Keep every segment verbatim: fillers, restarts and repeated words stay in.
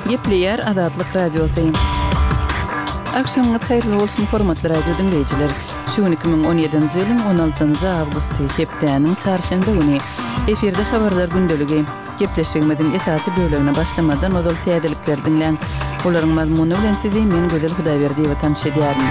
Gepleýär Azatlyk Radiosy. Agşamyňyz haýyrly bolsun, hormatly radio diňleýjiler. Şu gün iki müň on ýedinji ýylyň on altynjy awgusty, hepdäniň çarşenbe güni. Efirde habarlar gündeligi. Gepleşigimiziň esasy bölegine başlamazdan ozal täzelikleri diňläň. Olaryň mazmuny bilen sizi men Gözel Hudaýberdiýewa tanyş edýärin.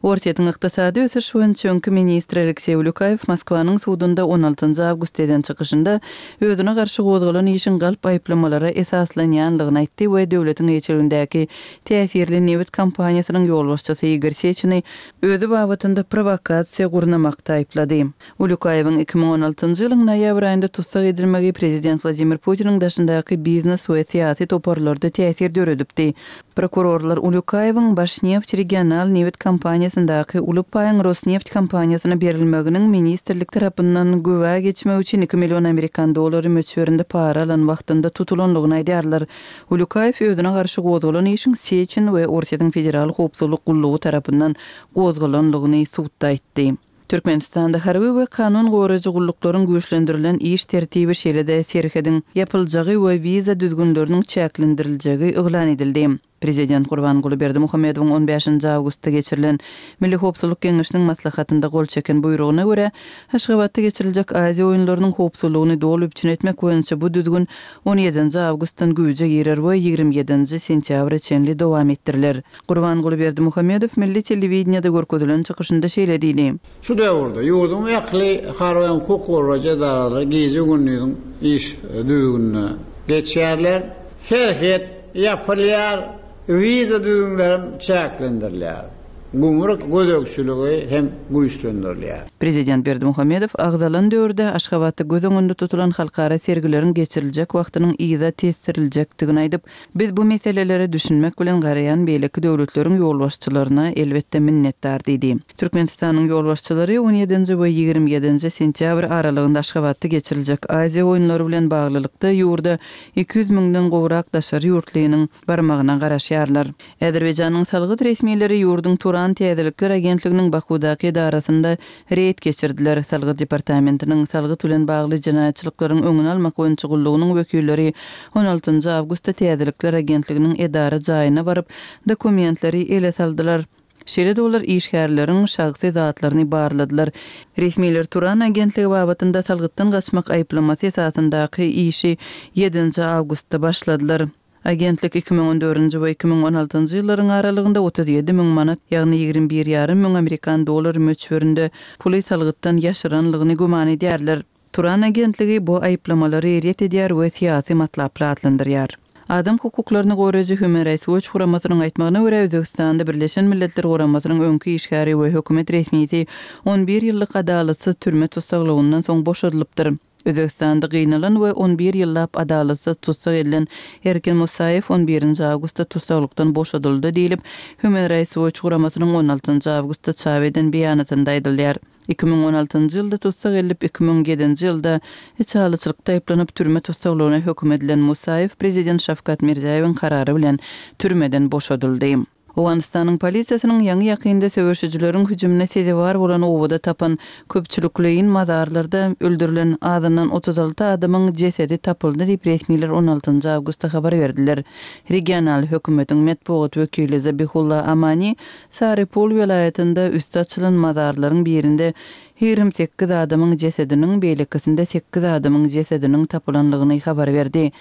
Orsýetiň ykdysady ösüş boýunça öňki ministri Alekseý Ulýukaýew Moskwanyň sudunda on altynjy awgustda eden çykyşynda özüne garşy gozgalan işiň galp aýyplamalara esaslanýanlygyny aýtdy we döwletiň eýeçiligindäki täsirli nebit kompaniýasynyň ýolbaşçysy Igor Seçini özi babatynda prowokasiýa gurnamakda aýyplady. Ulýukaýewiň iki müň on altynjy ýylyň noýabr aýynda tussag edilmegi prezident Wladimir Putiniň daşyndaky biznes we syýasy toparlarda täsir döredipdi. Prokurorlar Ulýukaýewiň Başneft regional nebit kompaniýasyndaky uly paýyň Rosneft kompaniýasyna berilmeginiň ministrlik tarapyndan güwä geçmek üçin iki million amerikan dollary möçberinde para alan wagtynda tutulanlygyny aýdýarlar. Ulýukaýew özüne garşy gozgalan işiň Seçin we Orsýetiň Federal howpsuzlyk gullugy tarapyndan gozgalanlygyny sudda aýtdy. Türkmenistanda harby we kanun goraýjy gulluklaryň güýçlendirilen iş tertibi şeýle-de serhediň ýapyljagy we wiza düzgünleriniň çäklendiriljegi yglan edildi. Prezident Gurbanguly Berdimuhamedowyň on bäşinji awgustda geçirilen Milli howpsuzlyk geňeşiniň maslahatynda gol çeken buýrugyna görä, Aşgabatda geçiriljek Aziýa oýunlarynyň howpsuzlygyny doly üpjün etmek boýunça bu düzgün on ýedinji awgustdan güýje girer we ýigrimi ýedinji sentýabra çenli dowam etdiriler. Gurbanguly Berdimuhamedow milli telewideniýede görkezilen çykyşynda şeýle diýdi. Şu döwürde ýurduň ähli harby hukuk goraýjy edaralary gije-gündiziň iş düzgünine geçýärler. Serhet ýapylýar, wiza düzgünleri çäklendirilýär. Gümrük gözegçiligi hem güýçlendirilýär. Prezident Berdimuhamedow agzalan döwürde Aşgabatda göz öňünde tutulan halkara sergileriň geçiriljek wagtynyň yza tesdiriljekdigini aýdyp, biz bu meselelere düşünmek bilen garaýan beýleki döwletleriň ýolbaşçylaryna elbetde minnetdar diýdi. Türkmenistanyň ýolbaşçylary on ýedinji we ýigrimi ýedinji sentýabr aralygynda Aşgabatda geçiriljek Aziýa oýunlary bilen baglylykda ýurda iki ýüz müňden gowrak daşary ýurtlynyň barmagyna garaşýarlar. Azerbaýjanyň salgyt resmileri ýurduň Turan Täzelikler agentliginiň Bakudaky edarasynda reýd geçirdiler. Salgyt departamentiniň salgyt bilen bagly jenaýatçylyklaryň öňüni almak boýunça gullugynyň wekilleri on altynjy awgustda Täzelikler agentliginiň edara jaýyna baryp, dokumentleri ele saldylar. Şeýle-de olar işgärleriň şahsy zatlaryny barladylar. Resmiler Turan agentligi babatynda salgytdan gaçmak aýyplamasy esasyndaky işi ýedinji awgustda başladylar. Agentlik iki müň on dördünji we iki müň on altynjy ýyllaryň aralygynda otuz ýedi müň manat, ýagny ýigrimi bir ýarym müň amerikan dollary möçberinde puly salgytdan ýaşyranlygyny güman edýärler. Turan agentligi bu aýyplamalary ret edýär we syýasy matlaply atlandyrýar. Adam hukuklaryny goraýjy Human Rights Watch guramasynyň aýtmagyna görä, Özbegistanda Birleşen Milletler Guramasynyň öňki işgäri we hökümet resmisi on bir ýyllyk adalatsyz türme tussaglygyndan soň boşadylypdyr. Özbegistanda gynalan we on bir ýyllap adalatsyz tussag edilen Erkin Musaýew on birinji awgustda tussaglykdan boşadyldy diýlip, Human Rights Watch guramasynyň on altynjy awgustda çap eden beýanatynda aýdylýar. Iki müň on altynjy ýylda tussag edilip, iki müň ýedinji ýylda içalyçylykda aýyplanyp türme tussaglygyna höküm edilen Musaýew prezident Şawkat Mirziýoýewiň karary bilen türmeden boşadyldy. Owganystanyň polisiýasynyň ýaňy-ýakynda söweşijileriň hüjümine sezewar bolan obada tapan köpçülikleýin mazarlarda öldürilen azyndan otuz alty adamyň jesedi tapyldy diýip resmiler on altynjy awgustda habar berdiler. Regional hökümetiň metbugat wekili Zabihulla Amani Sarypul welaýatynda üsti açylan mazarlaryň birinde ýigrimi sekiz adamyň jesediniň, beýlekisinde sekiz adamyň jesediniň tapylanlygyny habar berdi.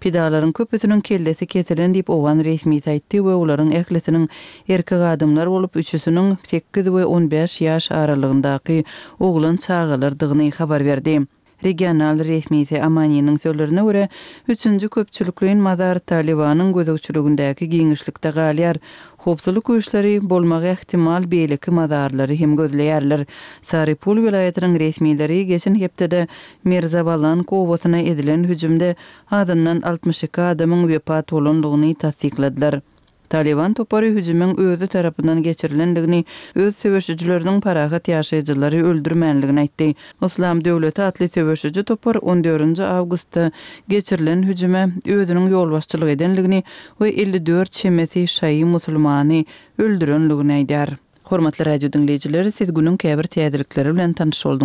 Pidalaryň köpüsiniň kellesi kesilen diýip owgan resmisi aýtdy we olaryň ählisiniň erkek adamlar bolup, üçüsiniň sekiz we on bäş ýaş aralygyndaky oglan çagalardygyny habar berdi. Regional resmisi Amaniniň sözlerine görä, üçünji köpçülikleýin mazar Talibanyň gözegçiligindäki giňişlikde galýar. Howpsuzlyk güýçleri bolmagy ähtimal beýleki mazarlary hem gözleýärler. Sarypul welaýatynyň resmileri geçen hepdede Mirzabalank obasyna edilen hüjümde azyndan altmyş iki adamyň wepat bolandygyny tassykladylar. Taliban topary hüjümiň özi tarapyndan geçirilendigini, öz söweşijileriniň parahat ýaşaýjylary öldürmänligini aýtdy. Yslam döwleti atly söweşiji topar on dördünji awgustda geçirilen hüjüme özüniň ýolbaşçylyk edenligini we elli dört çemesi şaýy musulmany öldürenligini aýdýar. Hormatly radio diňleýjiler, siz günüň käbir täzelikleri bilen tanyş bolduňyz.